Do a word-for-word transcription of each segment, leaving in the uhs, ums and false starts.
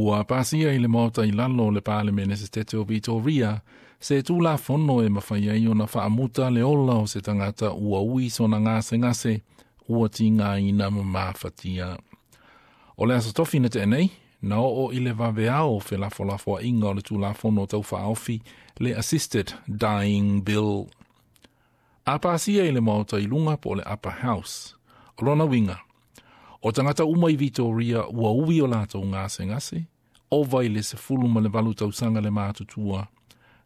Ua pasia i le maota i lalo o le Palemene Setete o Victoria, se tulafono e mafai ai ona faamuta le ola o se tagata ua ui sona gasegase ua tigaina ma mafatia. O le aso tofi na tea nei, na oo i le vaveao felafolafoaiga o le tulafono taufaaofi le Assisted Dying Bill. A pasia i le maota i luga po o le Upper House. O lona uiga, o tagata uma i Victoria ua ui o latou gasegase, ova i le sefulu ma le valu tausaga le matutua,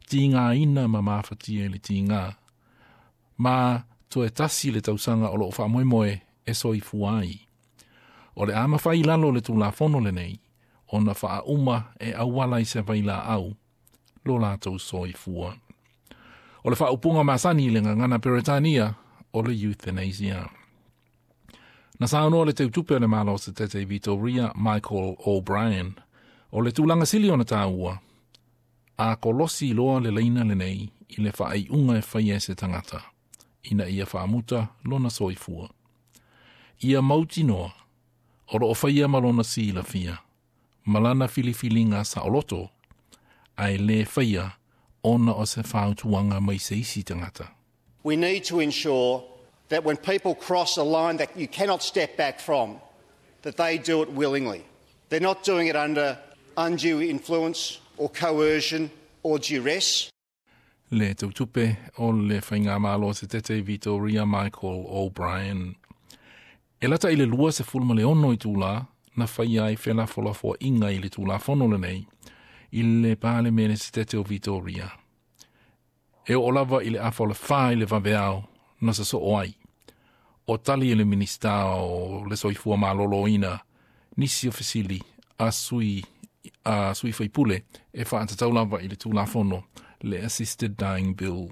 tigaina ma mafatia i le tiga. Ma toe tasi le tausaga o loo faamoemoe e soifua ai. O le a mafai lalo le tulafono lenei, ona faauma e auala i se vailaau, lo latou soifua. O le faaupuga masani i le gagana Peretania o le euthanasia. Na saunoa le teutupe o le Malo Setete i Victoria, Michael O'Brien, o le tulaga sili ona taua, a kolosi loa le laina lenei i le faaiuga e faia e se tagata, ina ia faamuta lona soifua. Ia mautinoa, o loo faia ma lona silafia, ma lana filifiliga saoloto, ae le faia ona o se fautuaga mai se isi tagata. We need to ensure that when people cross a line that you cannot step back from, that they do it willingly. They're not doing it under undue influence or coercion or duress. Le teutupe o le Faigamalo Setete Victoria Michael O'Brien. E lata i le lua sefulu ma le ono itula, na faia ai felafolafoaiga i le tulafono lenei, i le Palemene Setete o Victoria. E oo lava i le afa o le fa i le vaveao, na sasoo ai. O tali e le Minista o le Soifua Maloloina, nisi o fesili a sui, a sui faipule e faatatau lava i le tulafono, le Assisted Dying Bill.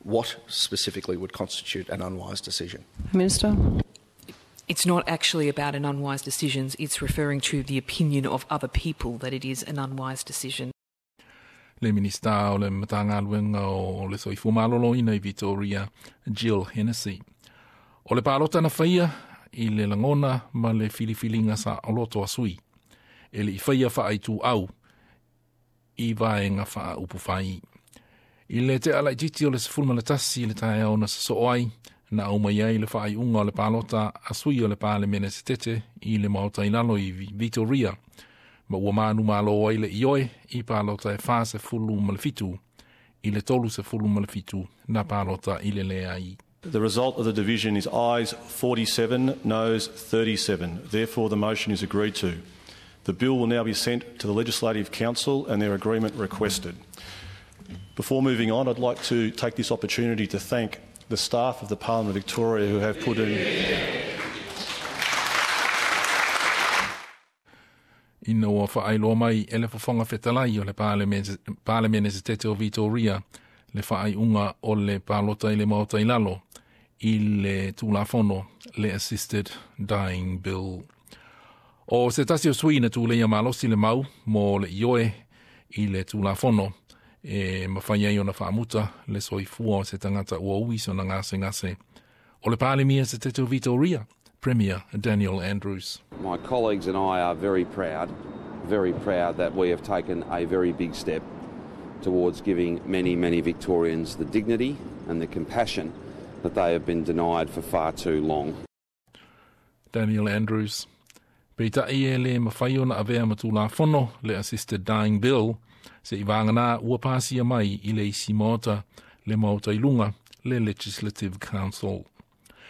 What specifically would constitute an unwise decision? Minister? It's not actually about an unwise decision, it's referring to the opinion of other people that it is an unwise decision. Le Minista o le Matagaluega o le Soifua Maloloina i Victoria, Jill Hennessy. O le palota na faia i le lagona ma le filifiliga saoloto a sui. E le i faia faaituau i vaega faaupufai. I le tea laitiiti o le sefulu ma le tasi le taeao na sasoo ai, na aumai ai le faaiuga o le palota a sui o le Palemene Setete i le maota i lalo i Victoria, ma ua manumalo ai le ioe i palota e fa sefulu ma le fitu, i le tolu sefulu ma le fitu na palota i le leai. The result of the division is ayes forty-seven, noes thirty-seven. Therefore, the motion is agreed to. The bill will now be sent to the Legislative Council and their agreement requested. Before moving on, I'd like to take this opportunity to thank the staff of the Parliament of Victoria who have put in... Ina ua faailoa mai e le fofoga fetalai o le Palemene Setete o Victoria, le faaiuga o le palota i le maota i lalo, i le tulafono, le Assisted Dying Bill. O se tasi o sui na tuleia malosi le mau mo le ioe i le tulafono, e mafai ai ona faamuta le soifua o se tagata ua ui sona gasegase. O le Palemia Setete o Victoria, Premier Daniel Andrews. My colleagues and I are very proud, very proud that we have taken a very big step towards giving many, many Victorians the dignity and the compassion that they have been denied for far too long. Daniel Andrews. Peitai e le mafai ona avea ma tulafono le Assisted Dying Bill, se i vagana ua pasia mai i le isi maota, le maota i luga, le Legislative Council.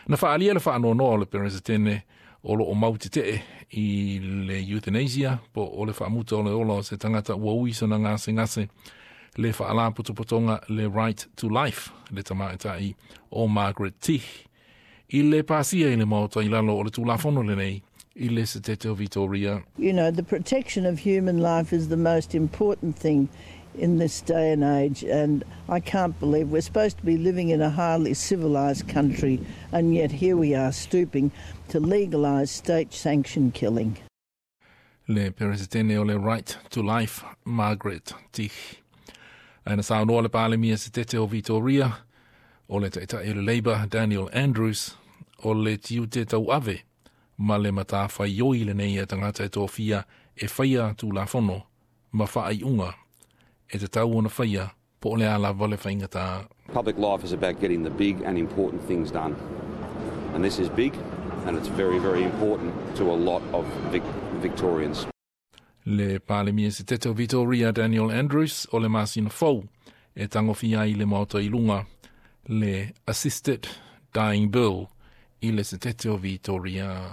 Na faalia le faanoanoa o le Peresetene o loo mau tetee i le euthanasia, po o le faamuta o le ola o se tagata ua ui sona gasegase, le faalapotopotoga le Right to Life, le tamaitai o Margaret Tich, i le pasia i le maota i lalo o le tulafono lenei, i le Setete o Victoria. You know, the protection of human life is the most important thing in this day and age, and I can't believe we're supposed to be living in a highly civilised country, and yet here we are stooping to legalise state-sanctioned killing. Le Peresetene o le Right to Life, Margaret Tich. Ae na saunoa le Palemia Setete o Victoria, o le taitai o le Labour, Daniel Andrews, o le tiute tauave, ma le matawhaioi lenei e tagata e tofia e faia tulafono ma faaiuga e tatau ona faia po o le a lava le faigata. Public life is about getting the big and important things done. And this is big and it's very, very important to a lot of Vic- Victorians. Le Palemia Setete o Victoria Daniel Andrews o le masina fou e tagofia ai le Maota i luga le Assisted Dying Bill i le Setete o Victoria.